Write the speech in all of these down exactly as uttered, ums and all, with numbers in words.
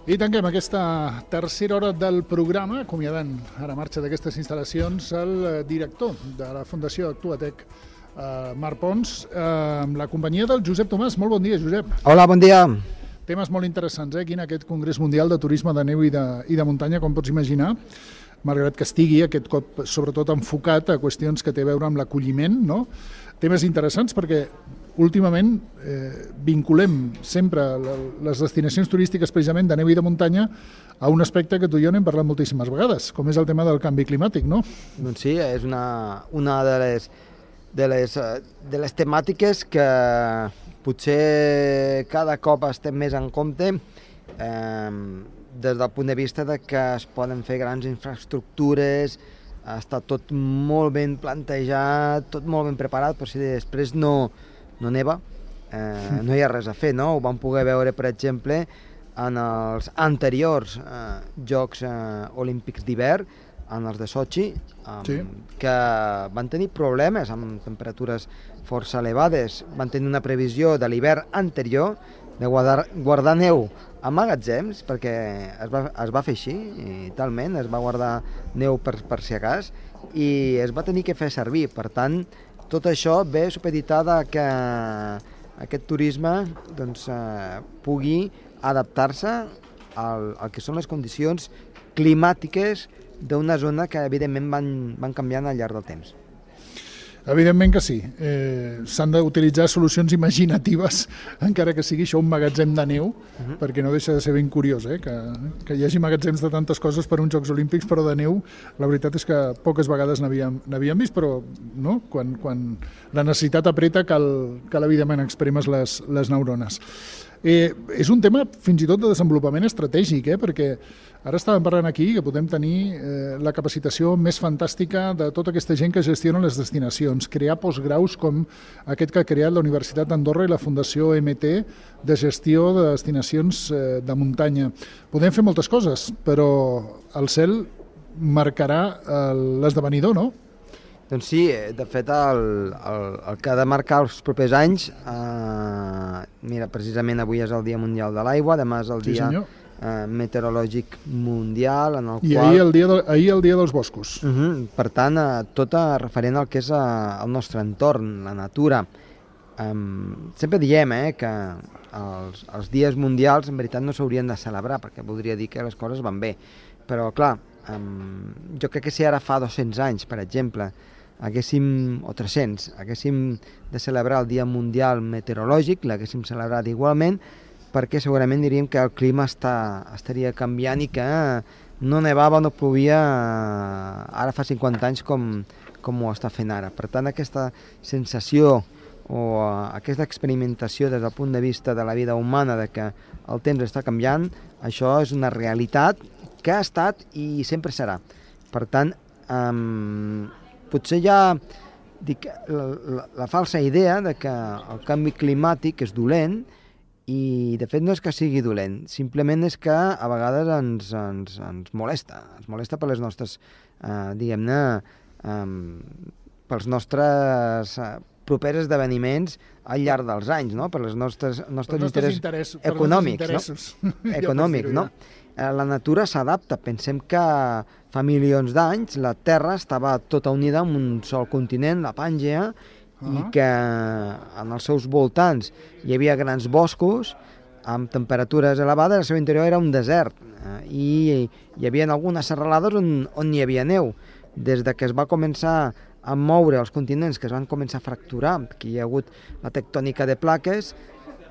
I tanquem aquesta tercera hora del programa, acomiadant ara marxa d'aquestes instal·lacions el director de la Fundació Actuatec, eh, Marc Pons, eh, amb la companyia del Josep Tomàs. Molt bon dia, Josep. Hola, bon dia. Temes molt interessants, eh, aquí en aquest Congrés Mundial de Turisme de Neu i de, i de Muntanya, com pots imaginar, malgrat que estigui aquest cop sobretot enfocat a qüestions que té a veure amb l'acolliment, no? Temes interessants perquè últimament eh, vinculem sempre les destinacions turístiques precisament de neu i de muntanya a un aspecte que tu i jo n'hem parlat moltíssimes vegades, com és el tema del canvi climàtic, no? Doncs sí, és una, una de, les, de, les, de les temàtiques que potser cada cop estem més en compte eh, des del punt de vista de que es poden fer grans infraestructures, està tot molt ben plantejat, tot molt ben preparat, però si després no, no neva, eh, no hi ha res a fer, no? Ho vam poder veure, per exemple, en els anteriors eh, Jocs eh, Olímpics d'hivern, en els de Sochi, eh, sí. que van tenir problemes amb temperatures força elevades. Van tenir una previsió de l'hivern anterior de guardar, guardar neu a magatzems, perquè es va, es va fer així, i talment, es va guardar neu per, per si acas, i es va tenir que fer servir. Per tant, tot això ve supeditada que aquest turisme doncs, eh, pugui adaptar-se al, al que són les condicions climàtiques d'una zona que evidentment van, van canviant al llarg del temps. Evidentment que sí. Eh, s'han d'utilitzar solucions imaginatives, encara que sigui això un magatzem de neu, uh-huh. perquè no deixa de ser ben curiós, eh? que, que hi hagi magatzems de tantes coses per uns Jocs Olímpics, però de neu, la veritat és que poques vegades n'havíem vist, però no? quan, quan la necessitat apreta cal, cal evidentment expremes les, les neurones. Eh, és un tema fins i tot de desenvolupament estratègic, eh? perquè ara estàvem parlant aquí que podem tenir eh, la capacitació més fantàstica de tota aquesta gent que gestiona les destinacions, crear postgraus com aquest que ha creat la Universitat d'Andorra i la Fundació M T de gestió de destinacions eh, de muntanya. Podem fer moltes coses, però el cel marcarà l'esdevenidor, no? Doncs sí, de fet el, el, el que ha de marcar els propers anys, eh, mira, precisament avui és el Dia Mundial de l'Aigua, demà és el sí, Dia eh, Meteorològic Mundial, en el I qual... ahir el, dia de, ahir el Dia dels Boscos. Uh -huh, per tant, eh, tot referent al que és eh, el nostre entorn, la natura. Um, sempre diem eh, que els, els dies mundials en veritat no s'haurien de celebrar, perquè voldria dir que les coses van bé, però clar, um, jo crec que si ara fa dos-cents anys, per exemple, haguéssim, o tres-cents, haguéssim de celebrar el Dia Mundial Meteorològic, l'haguéssim celebrat igualment, perquè segurament diríem que el clima està, estaria canviant i que no nevava, no plovia ara fa cinquanta anys com, com ho està fent ara. Per tant, aquesta sensació o aquesta experimentació des del punt de vista de la vida humana de que el temps està canviant, això és una realitat que ha estat i sempre serà. Per tant, um, potser hi ha dic, la, la, la falsa idea de que el canvi climàtic és dolent i de fet no és que sigui dolent, simplement és que a vegades ens, ens, ens molesta, ens molesta per les nostres, eh, diguem-ne, eh, pels nostres eh, propers esdeveniments al llarg dels anys, no? Per les nostres, nostres, nostres interessos interès, econòmics, no? econòmics, no? La natura s'adapta. Pensem que fa milions d'anys la Terra estava tota unida en un sol continent, la Pàngea, uh-huh. i que en els seus voltants hi havia grans boscos amb temperatures elevades, el seu interior era un desert, eh, i hi havia algunes serralades on, on hi havia neu. Des de que es va començar a moure els continents, que es van començar a fracturar, que hi ha hagut la tectònica de plaques,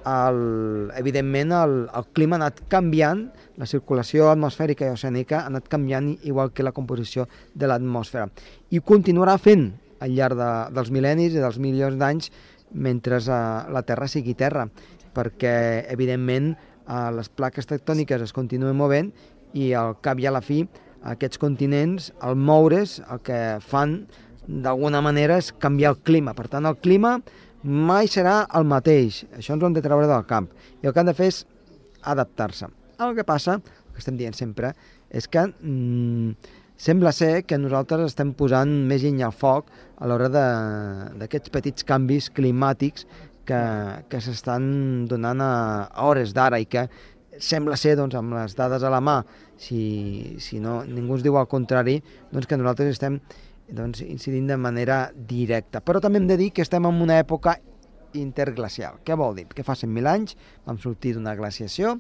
el, evidentment el, el clima ha anat canviant, la circulació atmosfèrica i oceànica ha anat canviant igual que la composició de l'atmosfera. I continuarà fent al llarg de, dels mil·lennis i dels milions d'anys mentre uh, la Terra sigui Terra, perquè evidentment uh, les plaques tectòniques es continuen movent i al cap i a la fi aquests continents, al moure's, el que fan d'alguna manera és canviar el clima. Per tant, el clima mai serà el mateix. Això ens ho hem de treure del camp. I el que han de fer és adaptar-se. El que passa, el que estem dient sempre, és que mm, sembla ser que nosaltres estem posant més llenya al foc a l'hora d'aquests petits canvis climàtics que, que s'estan donant a, a hores d'ara i que sembla ser, doncs, amb les dades a la mà, si, si no, ningú ens diu el contrari, doncs que nosaltres estem doncs, incidint de manera directa. Però també hem de dir que estem en una època interglacial. Què vol dir? Que fa cent mil anys vam sortir d'una glaciació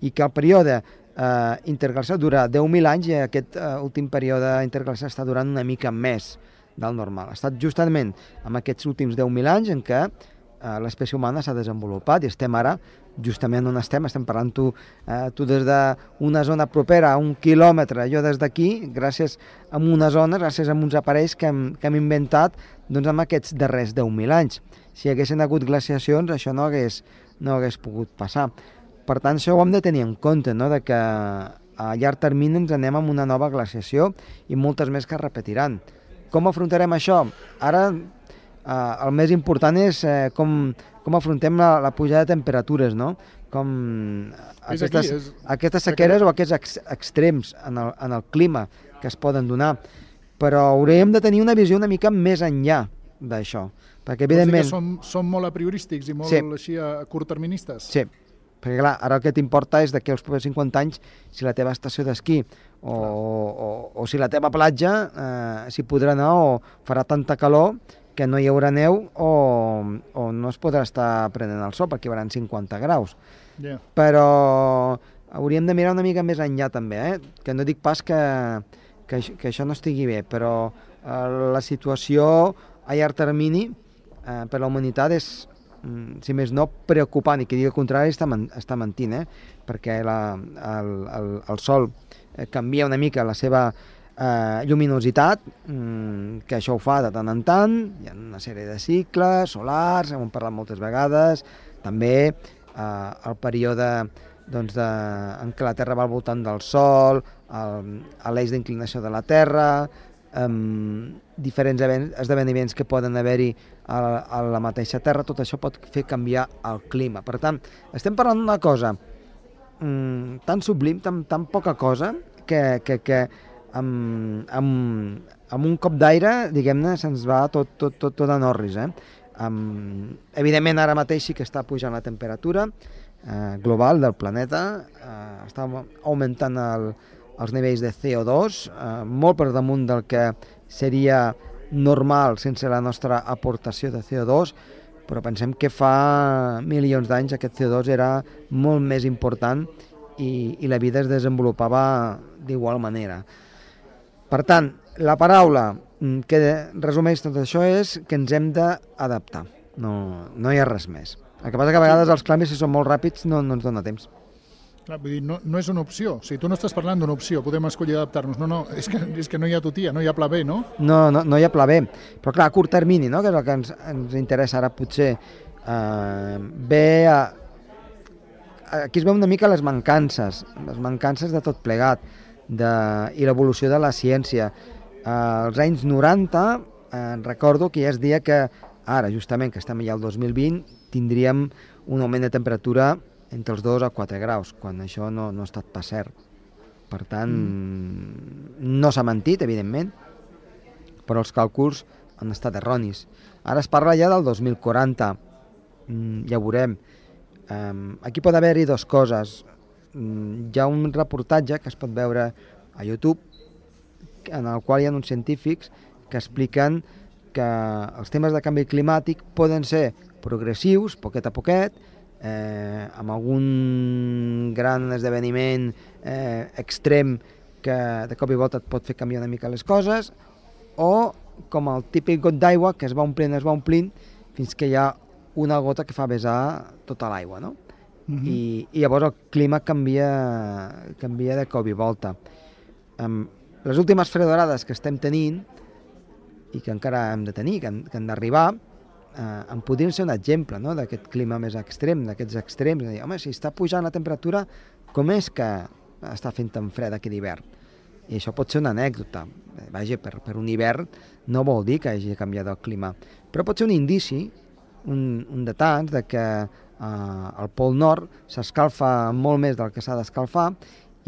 i que el període eh, interglacial dura deu mil anys i aquest eh, últim període interglacial està durant una mica més del normal. Ha estat justament en aquests últims deu mil anys en què eh, l'espècie humana s'ha desenvolupat i estem ara justament on estem, estem parlant tu, eh, tu des d'una zona propera a un quilòmetre, jo des d'aquí, gràcies a una zona, gràcies a uns aparells que hem, que hem inventat doncs, en aquests darrers deu mil anys. Si haguessin hagut glaciacions, això no hagués, no hagués pogut passar. Per tant, això ho hem de tenir en compte, no? De que a llarg termini ens anem amb una nova glaciació i moltes més que es repetiran. Com afrontarem això? Ara eh, el més important és eh, com, com afrontem la, la pujada de temperatures, no? Com aquestes, aquí, és... aquestes sequeres o aquests ex, extrems en el, en el clima que es poden donar. Però hauríem de tenir una visió una mica més enllà d'això. Perquè, evidentment... Som, som molt apriorístics i molt sí. així a curtterministes? Sí, perquè clar, ara el que t'importa és d'aquí als propers cinquanta anys si la teva estació d'esquí o, o, o si la teva platja eh, s'hi podrà anar o farà tanta calor que no hi haurà neu o, o no es podrà estar prenent el sol perquè hi haurà cinquanta graus. Yeah. Però hauríem de mirar una mica més enllà també, eh? Que no dic pas que, que, que això no estigui bé, però eh, la situació a llarg termini eh, per la humanitat és, si més no, preocupant, i qui digui el contrari està, men està mentint, eh? Perquè la, el, el, el sol eh, canvia una mica la seva eh, lluminositat, mm, que això ho fa de tant en tant, hi ha una sèrie de cicles solars, hem parlat moltes vegades, també eh, el període doncs, de, en què la Terra va al voltant del Sol, l'eix d'inclinació de la Terra, Um, diferents esdeveniments que poden haver-hi a, a la mateixa Terra, tot això pot fer canviar el clima. Per tant, estem parlant d'una cosa um, tan sublim, tan, tan poca cosa, que, que, que amb, amb, amb un cop d'aire, diguem-ne, se'ns va tot, tot, tot, tot en orris. Eh? Um, evidentment, ara mateix sí que està pujant la temperatura eh, global del planeta, eh, està augmentant el els nivells de C O dos, eh, molt per damunt del que seria normal sense la nostra aportació de C O dos, però pensem que fa milions d'anys aquest C O dos era molt més important i, i la vida es desenvolupava d'igual manera. Per tant, la paraula que resumeix tot això és que ens hem d'adaptar, no, no hi ha res més. El que passa que a vegades els canvis, si són molt ràpids, no, no ens dona temps. Clar, vull dir, no, no és una opció. O sigui, tu no estàs parlant d'una opció, podem escollir adaptar-nos. No, no, és que, és que no hi ha tutia, no hi ha pla B, no? No, no, no hi ha pla B. Però clar, a curt termini, no?, que és el que ens, ens interessa ara potser, eh, ve a... Aquí es veu una mica les mancances, les mancances de tot plegat, de, i l'evolució de la ciència. Eh, als anys noranta, eh, recordo que ja es deia que ara, justament, que estem ja al dos mil vint, tindríem un augment de temperatura entre els dos a quatre graus, quan això no, no ha estat pas cert. Per tant, mm. no s'ha mentit, evidentment, però els càlculs han estat erronis. Ara es parla ja del dos mil quaranta, mm, ja ho veurem. Um, aquí pot haver-hi dues coses. Mm, hi ha un reportatge que es pot veure a YouTube, en el qual hi ha uns científics que expliquen que els temes de canvi climàtic poden ser progressius, poquet a poquet, Eh, amb algun gran esdeveniment eh, extrem que de cop i volta et pot fer canviar una mica les coses, o com el típic got d'aigua que es va omplint, es va omplint fins que hi ha una gota que fa vessar tota l'aigua, no? Uh-huh. I, i llavors el clima canvia, canvia de cop i volta. Um, les últimes fredorades que estem tenint i que encara hem de tenir, que han, que han d'arribar, Uh, en podrien ser un exemple, no?, d'aquest clima més extrem, d'aquests extrems, de dir, home, si està pujant la temperatura, com és que està fent tan fred aquí d'hivern? I això pot ser una anècdota. Vaja, per, per un hivern no vol dir que hagi canviat el clima, però pot ser un indici, un, un de tants, de que uh, el Pol Nord s'escalfa molt més del que s'ha d'escalfar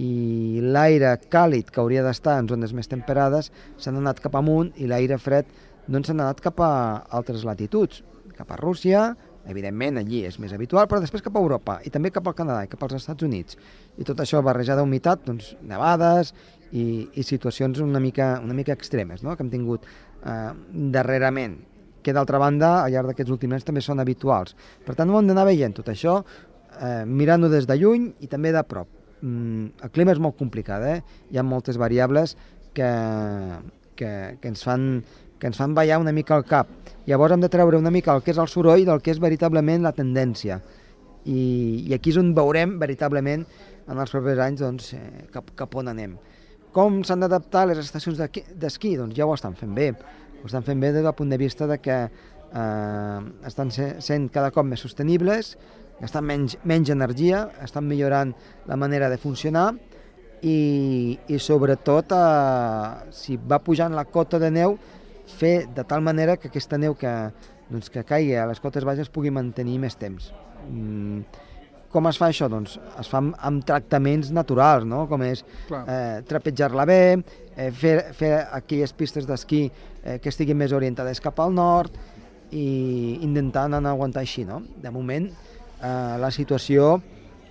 i l'aire càlid que hauria d'estar en zones més temperades s'ha anat cap amunt i l'aire fred doncs s'han anat cap a altres latituds, cap a Rússia, Evidentment, allí és més habitual, però després cap a Europa, i també cap al Canadà i cap als Estats Units. I tot això barrejat d'humitat, doncs, nevades i, i situacions una mica, una mica extremes, no?, que hem tingut eh, darrerament, que d'altra banda, al llarg d'aquests últims anys també són habituals. Per tant, ho hem d'anar veient tot això, eh, mirant-ho des de lluny i també de prop. Mm, el clima és molt complicat, eh? Hi ha moltes variables que, que, que ens fan que ens fan ballar una mica el cap. Llavors hem de treure una mica el que és el soroll del que és veritablement la tendència. I, i aquí és on veurem veritablement en els propers anys doncs, eh, cap, cap on anem. Com s'han d'adaptar les estacions d'esquí? Doncs ja ho estan fent bé. Ho estan fent bé des del punt de vista de que eh, estan sent cada cop més sostenibles, gastant menys, menys energia, estan millorant la manera de funcionar i, i sobretot eh, si va pujant la cota de neu, fer de tal manera que aquesta neu que, doncs, que caigui a les cotes baixes pugui mantenir més temps. Mm, com es fa això? Doncs es fa amb, amb tractaments naturals, no? Com és eh, trapejar-la bé, eh, fer, fer aquelles pistes d'esquí eh, que estiguin més orientades cap al nord i intentant anar a aguantar així, no? De moment, eh, la situació,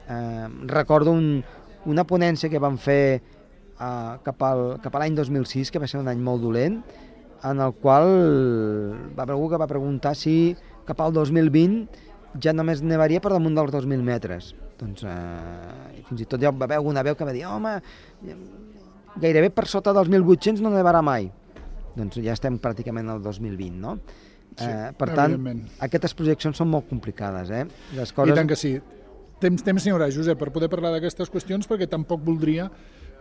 eh, recordo un, una ponència que vam fer eh, cap, al, cap a l'any dos mil sis, que va ser un any molt dolent, en el qual va haver algú que va preguntar si cap al dos mil vint ja només nevaria per damunt dels dos mil metres. Doncs eh, fins i tot ja va haver alguna veu que va dir home, gairebé per sota dels mil vuit-cents no nevarà mai. Doncs ja estem pràcticament al dos mil vint, no? Sí, eh, per tant, aquestes projeccions són molt complicades, eh? Les coses... I tant que sí. Temps, temps n'hi haurà, Josep, per poder parlar d'aquestes qüestions, perquè tampoc voldria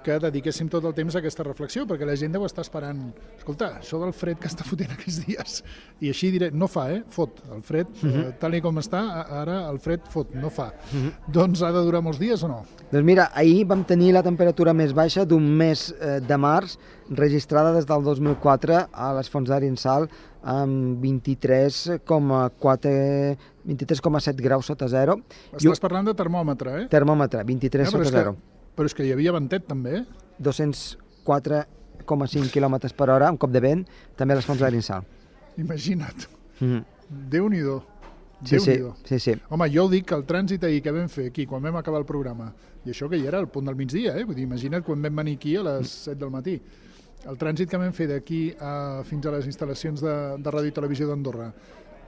que dediquéssim tot el temps a aquesta reflexió, perquè la gent deu estar esperant, escolta, això del fred que està fotent aquests dies, i així diré, no fa, eh? Fot, el fred, uh -huh. eh, tal i com està, ara el fred fot, no fa. Uh -huh. Doncs ha de durar molts dies o no? Doncs mira, ahir vam tenir la temperatura més baixa d'un mes eh, de març, registrada des del dos mil quatre a les Fonts d'Arinsal, amb vint-i-tres coma quatre, vint-i-tres coma set graus sota zero. Estàs I... parlant de termòmetre, eh? Termòmetre, vint-i-tres eh, sota zero. Però és que hi havia ventet, també, eh? dos-cents quatre coma cinc quilòmetres per hora, un cop de vent, també a les Fonts d'Arinsal. Imagina't. Mm-hmm. Déu-n'hi-do. Sí, sí, sí, sí. Home, jo ho dic, que el trànsit ahir que vam fer aquí, quan vam acabar el programa, i això que hi era al punt del migdia, eh? Vull dir, imagina't quan vam venir aquí a les set del matí. El trànsit que vam fer d'aquí a, fins a les instal·lacions de, de Ràdio i Televisió d'Andorra,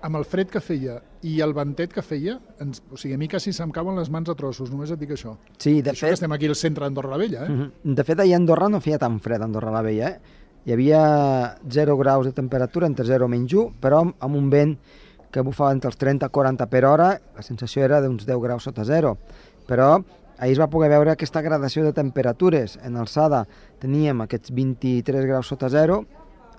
amb el fred que feia i el ventet que feia, ens, o sigui, a mi quasi se'm cauen les mans a trossos, només et dic això. Sí, de això fet... que estem aquí al centre d'Andorra la Vella, eh? Uh-huh. De fet, ahir a Andorra no feia tan fred, a Andorra la Vella, eh? Hi havia zero graus de temperatura, entre zero menys u, però amb un vent que bufava entre els trenta i quaranta per hora, la sensació era d'uns deu graus sota zero. Però ahir es va poder veure aquesta gradació de temperatures. En alçada teníem aquests vint-i-tres graus sota zero,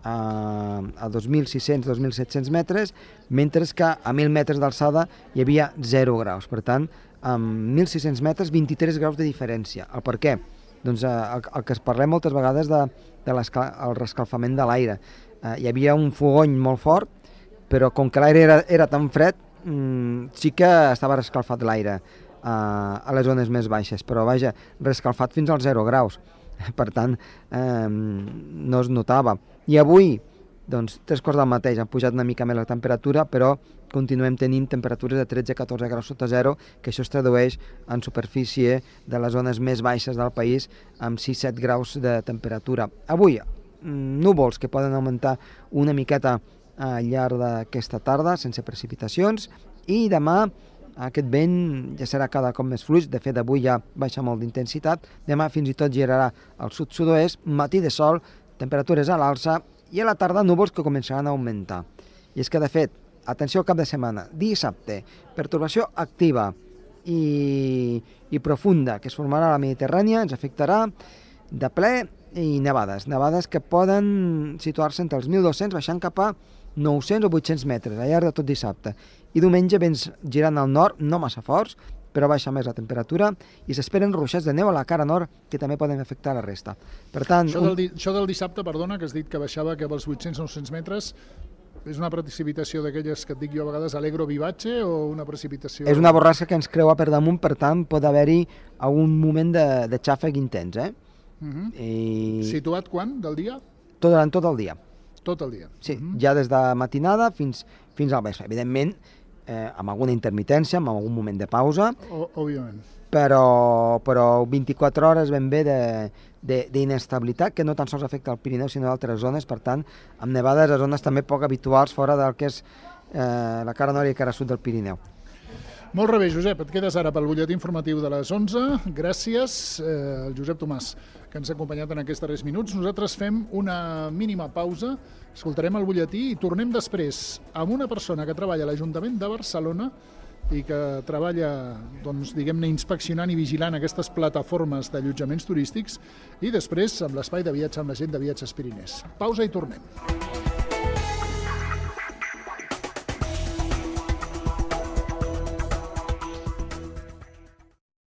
a, a dos mil sis-cents a dos mil set-cents metres, mentre que a mil metres d'alçada hi havia zero graus. Per tant, amb mil sis-cents metres, vint-i-tres graus de diferència. El per què? Doncs eh, el, el que es parlem moltes vegades de, de el rescalfament de l'aire. Eh, hi havia un fogony molt fort, però com que l'aire era, era tan fred, mmm, sí que estava rescalfat l'aire eh, a les zones més baixes, però vaja, rescalfat fins als zero graus. Per tant, eh, no es notava. I avui, doncs, tres quarts del mateix, han pujat una mica més la temperatura, però continuem tenint temperatures de tretze a catorze graus sota zero, que això es tradueix en superfície de les zones més baixes del país amb sis-set graus de temperatura. Avui, núvols que poden augmentar una miqueta al llarg d'aquesta tarda, sense precipitacions, i demà aquest vent ja serà cada cop més fluix. De fet, avui ja baixa molt d'intensitat, demà fins i tot girarà al sud-sud-oest, matí de sol, temperatures a l'alça, i a la tarda núvols que començaran a augmentar. I és que, de fet, atenció al cap de setmana, dissabte, pertorbació activa i, i profunda que es formarà a la Mediterrània, ens afectarà de ple i nevades, nevades que poden situar-se entre els mil dos-cents baixant cap a nou-cents o vuit-cents metres al llarg de tot dissabte. I diumenge vents girant al nord, no massa forts, però baixa més la temperatura i s'esperen ruixats de neu a la cara nord que també poden afectar la resta. Per tant, això, del, un... això del dissabte, perdona, que has dit que baixava cap als vuit-cents a nou-cents metres, és una precipitació d'aquelles que et dic jo a vegades alegro vivatge o una precipitació... És una borrasca que ens creua per damunt, per tant pot haver-hi algun moment de, de xàfec intens, eh? Uh-huh. I... Situat quan, del dia? Tot, durant tot el dia. Tot el dia. Sí, uh-huh. Ja des de matinada fins, fins al vespre. Evidentment, eh, amb alguna intermitència, amb algun moment de pausa, O, òbviament. però, però vint-i-quatre hores ben bé d'inestabilitat que no tan sols afecta el Pirineu sinó d'altres zones, per tant, amb nevades a zones també poc habituals fora del que és eh, la cara nord i cara sud del Pirineu. Molt rebé, Josep, et quedes ara pel butlletí informatiu de les onze. Gràcies, eh, el Josep Tomàs, que ens ha acompanyat en aquests darrers minuts. Nosaltres fem una mínima pausa, escoltarem el butlletí i tornem després amb una persona que treballa a l'Ajuntament de Barcelona i que treballa, doncs, diguem-ne, inspeccionant i vigilant aquestes plataformes d'allotjaments turístics, i després amb l'espai de viatge amb la gent de Viatges Pirinès. Pausa i tornem.